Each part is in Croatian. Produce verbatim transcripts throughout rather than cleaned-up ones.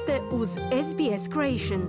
ste uz S B S Creation.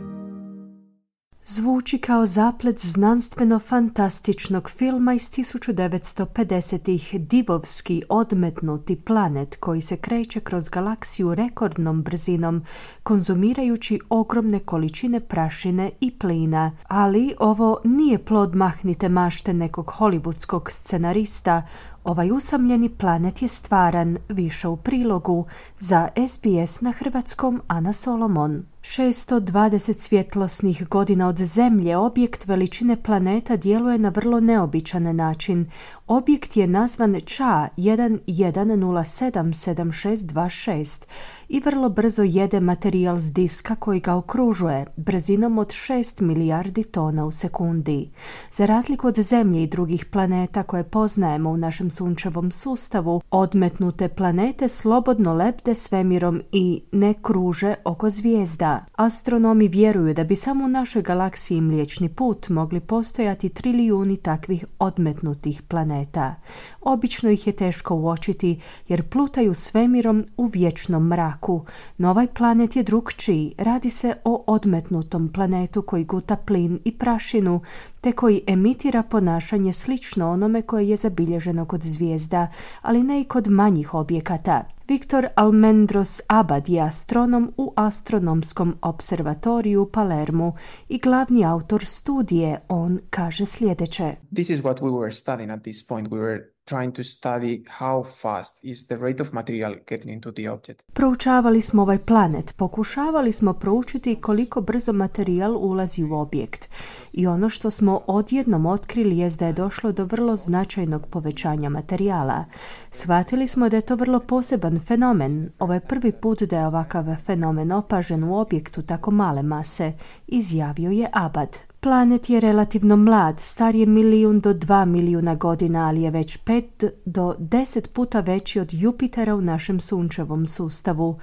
Zvuči kao zaplet znanstveno-fantastičnog filma iz tisuću devetsto pedesetih, divovski odmetnuti planet koji se kreće kroz galaksiju rekordnom brzinom, konzumirajući ogromne količine prašine i plina. Ali ovo nije plod mahnite mašte nekog hollywoodskog scenarista. Ovaj usamljeni planet je stvaran, više u prilogu. Za S B S na hrvatskom Ana Solomon. šesto dvadeset svjetlosnih godina od Zemlje objekt veličine planeta djeluje na vrlo neobičan način. Objekt je nazvan Ča jedan jedan nula sedam sedam šest dva šest i vrlo brzo jede materijal s diska koji ga okružuje, brzinom od šest milijardi tona u sekundi. Za razliku od Zemlje i drugih planeta koje poznajemo u našem sunčevom sustavu, odmetnute planete slobodno lebde svemirom i ne kruže oko zvijezda. Astronomi vjeruju da bi samo u našoj galaksiji Mliječni put mogli postojati trilijuni takvih odmetnutih planeta. Obično ih je teško uočiti jer plutaju svemirom u vječnom mraku. No ovaj planet je drukčiji. Radi se o odmetnutom planetu koji guta plin i prašinu, te koji emitira ponašanje slično onome koje je zabilježeno kod zvijezda, ali ne i kod manjih objekata. Viktor Almendros Abad je astronom u Astronomskom observatoriju u Palermu i glavni autor studije. On kaže sljedeće. This is what we were studying at this point. We were trying to study how fast is the rate of material getting into the object. Proučavali smo ovaj planet, pokušavali smo proučiti koliko brzo materijal ulazi u objekt. I ono što smo odjednom otkrili jest da je došlo do vrlo značajnog povećanja materijala. Shvatili smo da je to vrlo poseban fenomen. Ovo je prvi put da je ovakav fenomen opažen u objektu tako male mase, izjavio je Abad. Planet je relativno mlad, star je milijun do dva milijuna godina, ali je već pet do deset puta veći od Jupitera u našem sunčevom sustavu.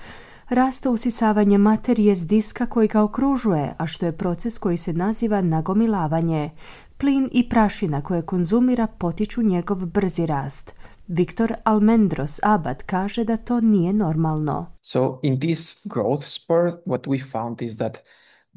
Raste usisavanje materije s diska koji ga okružuje, a što je proces koji se naziva nagomilavanje. Plin i prašina koje konzumira potiču njegov brzi rast. Viktor Almendros Abad kaže da to nije normalno. So in this growth spurt, what we found is that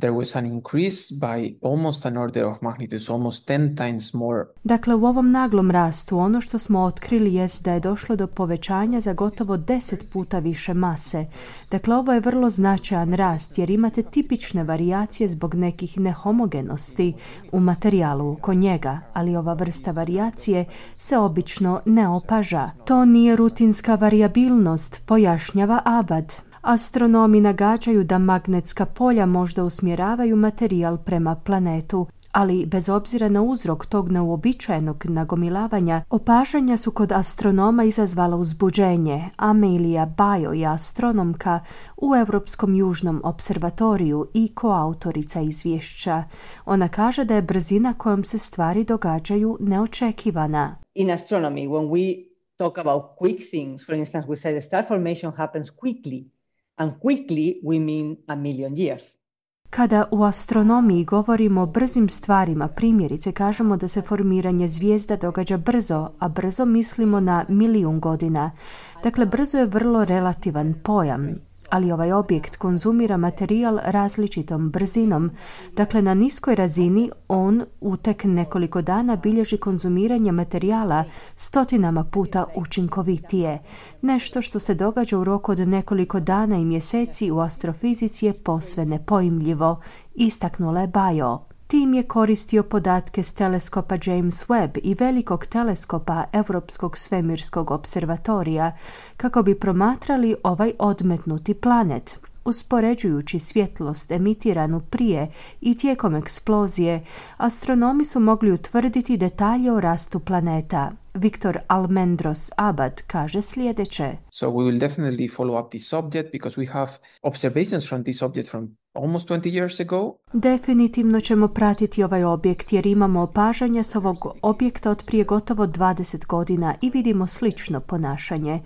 there was an increase by almost an order of magnitude, almost ten times more. Dakle, u ovom naglom rastu ono što smo otkrili jest da je došlo do povećanja za gotovo deset puta više mase. Dakle, ovo je vrlo značajan rast jer imate tipične varijacije zbog nekih nehomogenosti u materijalu oko njega, ali ova vrsta varijacije se obično ne opaža. To nije rutinska varijabilnost, pojašnjava Abad. Astronomi nagađaju da magnetska polja možda usmjeravaju materijal prema planetu, ali bez obzira na uzrok tog neuobičajenog nagomilavanja, opažanja su kod astronoma izazvala uzbuđenje. Amelia Bajo je astronomka u Europskom južnom observatoriju i koautorica izvješća. Ona kaže da je brzina kojom se stvari događaju neočekivana. In astronomy, when we talk about quick things, for instance, we say the star formation happens quickly. And quickly we mean a million years. Kada u astronomiji govorimo o brzim stvarima, primjerice kažemo da se formiranje zvijezda događa brzo, a brzo mislimo na milijun godina. Dakle, brzo je vrlo relativan pojam, ali ovaj objekt konzumira materijal različitom brzinom. Dakle, na niskoj razini on u tek nekoliko dana bilježi konzumiranje materijala stotinama puta učinkovitije. Nešto što se događa u roku od nekoliko dana i mjeseci u astrofizici je posve nepojmljivo, istaknula je Bajo. Tim je koristio podatke s teleskopa James Webb i velikog teleskopa Europskog svemirskog observatorija kako bi promatrali ovaj odmetnuti planet. Uspoređujući svjetlost emitiranu prije i tijekom eksplozije, astronomi su mogli utvrditi detalje o rastu planeta. Viktor Almendros Abad kaže sljedeće. So we will definitely follow up this object because we have observations from this object from almost twenty years ago. Definitivno ćemo pratiti ovaj objekt jer imamo opažanja s ovog objekta od prije gotovo dvadeset godina i vidimo slično ponašanje.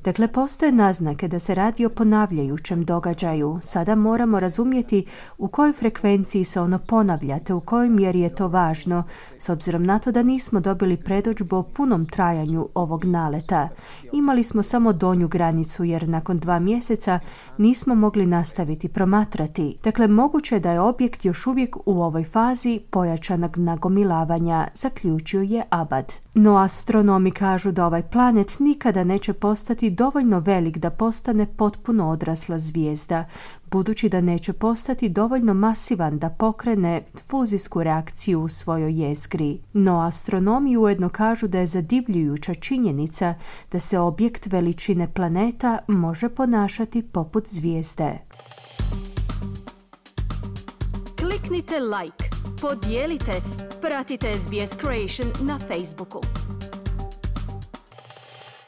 Dakle, postoje naznake da se radi o ponavljajućem događaju. Sada moramo razumjeti u kojoj frekvenciji se ono ponavlja, te u kojoj mjeri je to važno, s obzirom na to da nismo dobili predodžbu o punom trajanju ovog naleta. Imali smo samo donju granicu, jer nakon dva mjeseca nismo mogli nastaviti promatrati. Dakle, moguće je da je objekt još uvijek u ovoj fazi pojačanog nagomilavanja, zaključio je Abad. No astronomi kažu da ovaj planet nikada neće postati dovoljno velik da postane potpuno odrasla zvijezda, budući da neće postati dovoljno masivan da pokrene fuzijsku reakciju u svojoj jezgri. No astronomi ujedno kažu da je zadivljujuća činjenica da se objekt veličine planeta može ponašati poput zvijezde. Kliknite like, podijelite, pratite S B S Creation na Facebooku.